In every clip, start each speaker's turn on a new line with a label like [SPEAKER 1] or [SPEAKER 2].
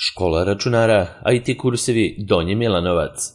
[SPEAKER 1] Škola računara, IT kursevi Donji Milanovac.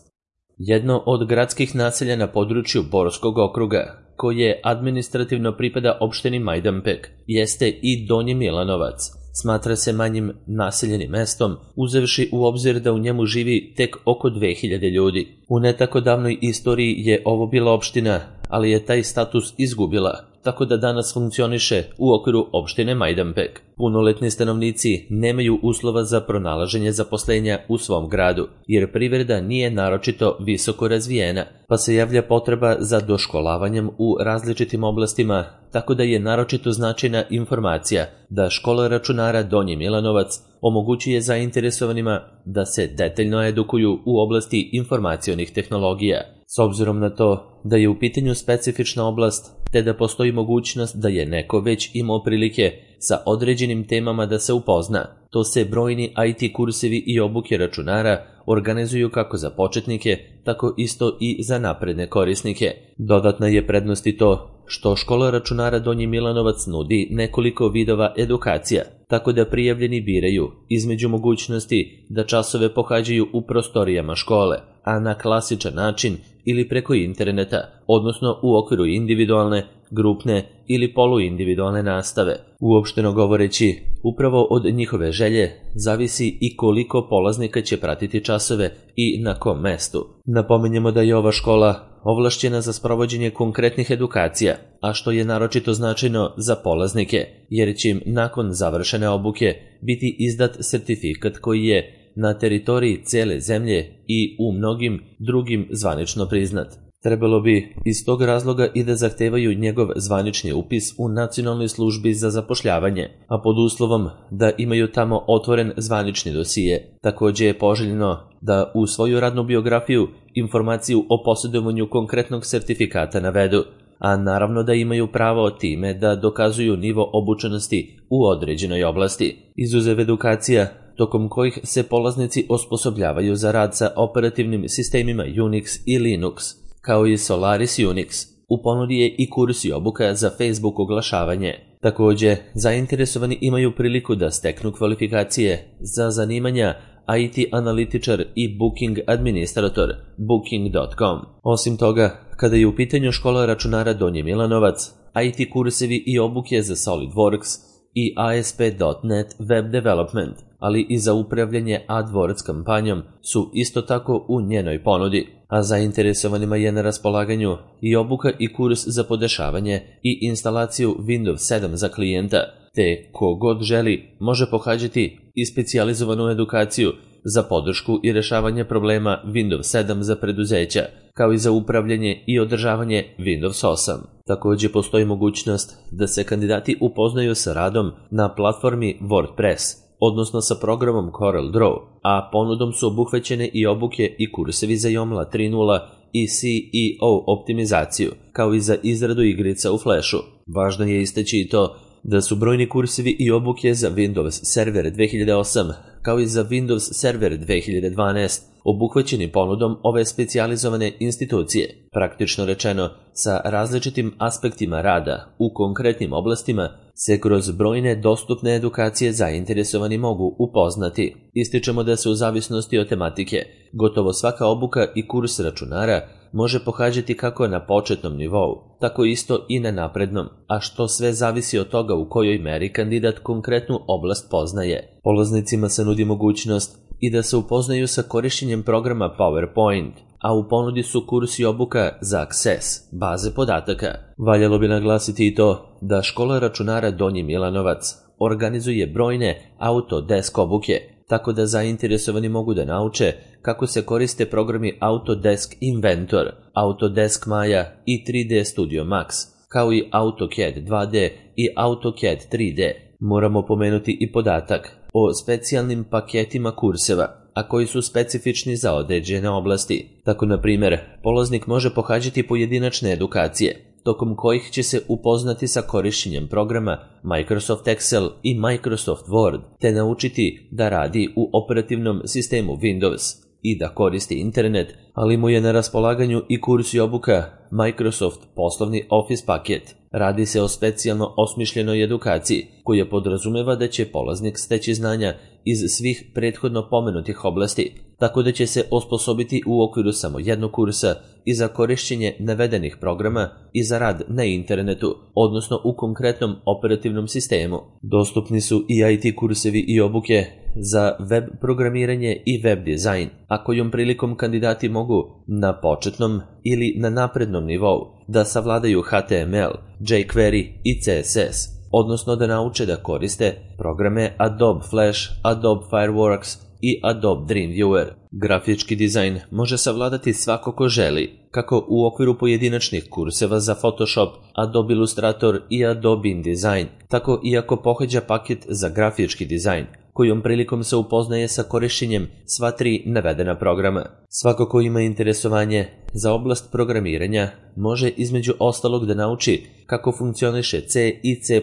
[SPEAKER 1] Jedno od gradskih naselja na području Borskog okruga, koje administrativno pripada opštini Majdanpek, jeste i Donji Milanovac. Smatra se manjim naseljenim mestom, uzevši u obzir da u njemu živi tek oko 2000 ljudi. U ne tako davnoj istoriji je ovo bila opština, ali je taj status izgubila, tako da danas funkcioniše u okviru opštine Majdanpek. Punoletni stanovnici nemaju uslova za pronalaženje zaposlenja u svom gradu, jer privreda nije naročito visoko razvijena, pa se javlja potreba za doškolavanjem u različitim oblastima, tako da je naročito značajna informacija da škola računara Donji Milanovac omogućuje zainteresovanima da se detaljno edukuju u oblasti informacionih tehnologija. S obzirom na to da je u pitanju specifična oblast, te da postoji mogućnost da je neko već imao prilike sa određenim temama da se upozna, to se brojni IT kursevi i obuke računara organizuju kako za početnike, tako isto i za napredne korisnike. Dodatna je prednost i to što škola računara Donji Milanovac nudi nekoliko vidova edukacija, tako da prijavljeni biraju između mogućnosti da časove pohađaju u prostorijama škole, a na klasičan način ili preko interneta, odnosno u okviru individualne, grupne ili poluindividualne nastave. Uopšteno govoreći, upravo od njihove želje zavisi i koliko polaznika će pratiti časove i na kom mestu. Napominjemo da je ova škola ovlašćena za sprovođenje konkretnih edukacija, a što je naročito značajno za polaznike, jer će im nakon završene obuke biti izdat sertifikat koji je na teritoriji cele zemlje i u mnogim drugim zvanično priznat. Trebalo bi iz tog razloga i da zahtevaju njegov zvanični upis u Nacionalnoj službi za zapošljavanje, a pod uslovom da imaju tamo otvoren zvanični dosije. Takođe je poželjno da u svoju radnu biografiju informaciju o posjedovanju konkretnog sertifikata navedu, a naravno da imaju pravo time da dokazuju nivo obučenosti u određenoj oblasti. Izuzev edukacija, tokom kojih se polaznici osposobljavaju za rad sa operativnim sistemima Unix i Linux, kao i Solaris Unix. U ponudi je i kurs i obuka za Facebook oglašavanje. Takođe, zainteresovani imaju priliku da steknu kvalifikacije za zanimanja IT analitičar i Booking administrator, Booking.com. Osim toga, kada je u pitanju škola računara Donji Milanovac, IT kursevi i obuke za SolidWorks i ASP.NET Web Development, ali i za upravljanje AdWords kampanjom su isto tako u njenoj ponudi, a zainteresovanima je na raspolaganju i obuka i kurs za podešavanje i instalaciju Windows 7 za klijenta, te ko god želi može pohađati i specijalizovanu edukaciju za podršku i rešavanje problema Windows 7 za preduzeća, kao i za upravljanje i održavanje Windows 8. Takođe postoji mogućnost da se kandidati upoznaju sa radom na platformi WordPress, odnosno sa programom CorelDRAW, a ponudom su obuhvaćene i obuke i kursevi za Joomla 3.0 i SEO optimizaciju, kao i za izradu igrica u Flashu. Važno je istaći i to da su brojni kursevi i obuke za Windows Server 2008, kao i za Windows Server 2012, obuhvaćeni ponudom ove specijalizovane institucije. Praktično rečeno, sa različitim aspektima rada u konkretnim oblastima se kroz brojne dostupne edukacije zainteresovani mogu upoznati. Ističemo da se u zavisnosti od tematike gotovo svaka obuka i kurs računara može pohađati kako na početnom nivou, tako isto i na naprednom, a što sve zavisi od toga u kojoj meri kandidat konkretnu oblast poznaje. Polaznicima se nudi mogućnost i da se upoznaju sa korišćenjem programa PowerPoint, a u ponudi su kurs i obuka za Access, baze podataka. Valjalo bi naglasiti i to da škola računara Donji Milanovac organizuje brojne Autodesk obuke, tako da zainteresovani mogu da nauče kako se koriste programi Autodesk Inventor, Autodesk Maya i 3D Studio Max, kao i AutoCAD 2D i AutoCAD 3D. Moramo pomenuti i podatak o specijalnim paketima kurseva, a koji su specifični za određene oblasti. Tako, na primjer, polaznik može pohađati pojedinačne edukacije, tokom kojih će se upoznati sa korišćenjem programa Microsoft Excel i Microsoft Word, te naučiti da radi u operativnom sistemu Windows i da koristi internet, ali mu je na raspolaganju i kurs i obuka Microsoft poslovni Office paket. Radi se o specijalno osmišljenoj edukaciji koja podrazumeva da će polaznik steći znanja iz svih prethodno pomenutih oblasti, tako da će se osposobiti u okviru samo jednog kursa i za korišćenje navedenih programa i za rad na internetu, odnosno u konkretnom operativnom sistemu. Dostupni su i IT kursevi i obuke za web programiranje i web dizajn, a kojom prilikom kandidati mogu na početnom ili na naprednom nivou da savladaju HTML, jQuery i CSS, odnosno da nauče da koriste programe Adobe Flash, Adobe Fireworks i Adobe Dreamweaver. Grafički dizajn može savladati svako ko želi, kako u okviru pojedinačnih kurseva za Photoshop, Adobe Illustrator i Adobe InDesign, tako i ako pohađa paket za grafički dizajn, kojom prilikom se upoznaje sa korišćenjem sva tri navedena programa. Svako ko ima interesovanje za oblast programiranja može između ostalog da nauči kako funkcioniše C i C++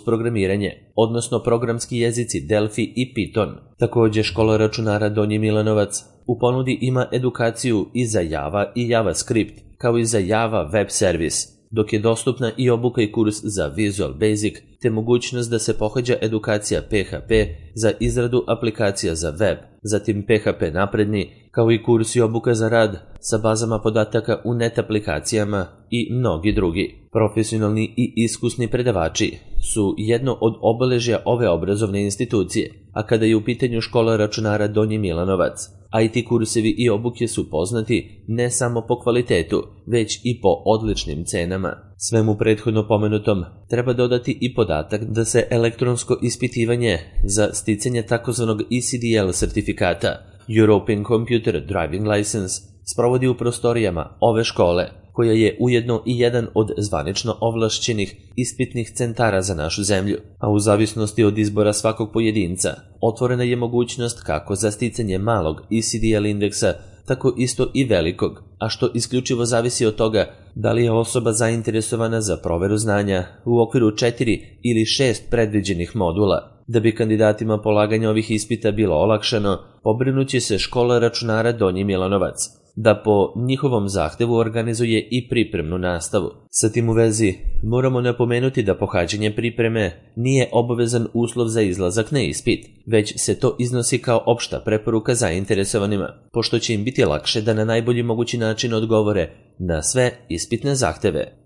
[SPEAKER 1] programiranje, odnosno programski jezici Delphi i Python. Također škola računara Donji Milanovac u ponudi ima edukaciju i za Java i JavaScript, kao i za Java Web Service, dok je dostupna i obuka i kurs za Visual Basic, te mogućnost da se pohađa edukacija PHP za izradu aplikacija za web, zatim PHP napredni, kao i kurs i obuka za rad sa bazama podataka u net aplikacijama i mnogi drugi. Profesionalni i iskusni predavači su jedno od obeležja ove obrazovne institucije, a kada je u pitanju škola računara Donji Milanovac, IT kursevi i obuke su poznati ne samo po kvalitetu, već i po odličnim cenama. Svemu prethodno pomenutom treba dodati i podatak da se elektronsko ispitivanje za sticanje takozvanog ECDL sertifikata, European Computer Driving License, sprovodi u prostorijama ove škole, koja je ujedno i jedan od zvanično ovlašćenih ispitnih centara za našu zemlju, a u zavisnosti od izbora svakog pojedinca, otvorena je mogućnost kako za sticanje malog ECDL indeksa, tako isto i velikog, a što isključivo zavisi od toga da li je osoba zainteresovana za proveru znanja u okviru 4 ili 6 predviđenih modula. Da bi kandidatima polaganja ovih ispita bilo olakšano, pobrinuće se škola računara Donji Milanovac da po njihovom zahtevu organizuje i pripremnu nastavu. Sa tim u vezi moramo napomenuti da pohađanje pripreme nije obavezan uslov za izlazak na ispit, već se to iznosi kao opšta preporuka zainteresovanima, pošto će im biti lakše da na najbolji mogući način odgovore na sve ispitne zahteve.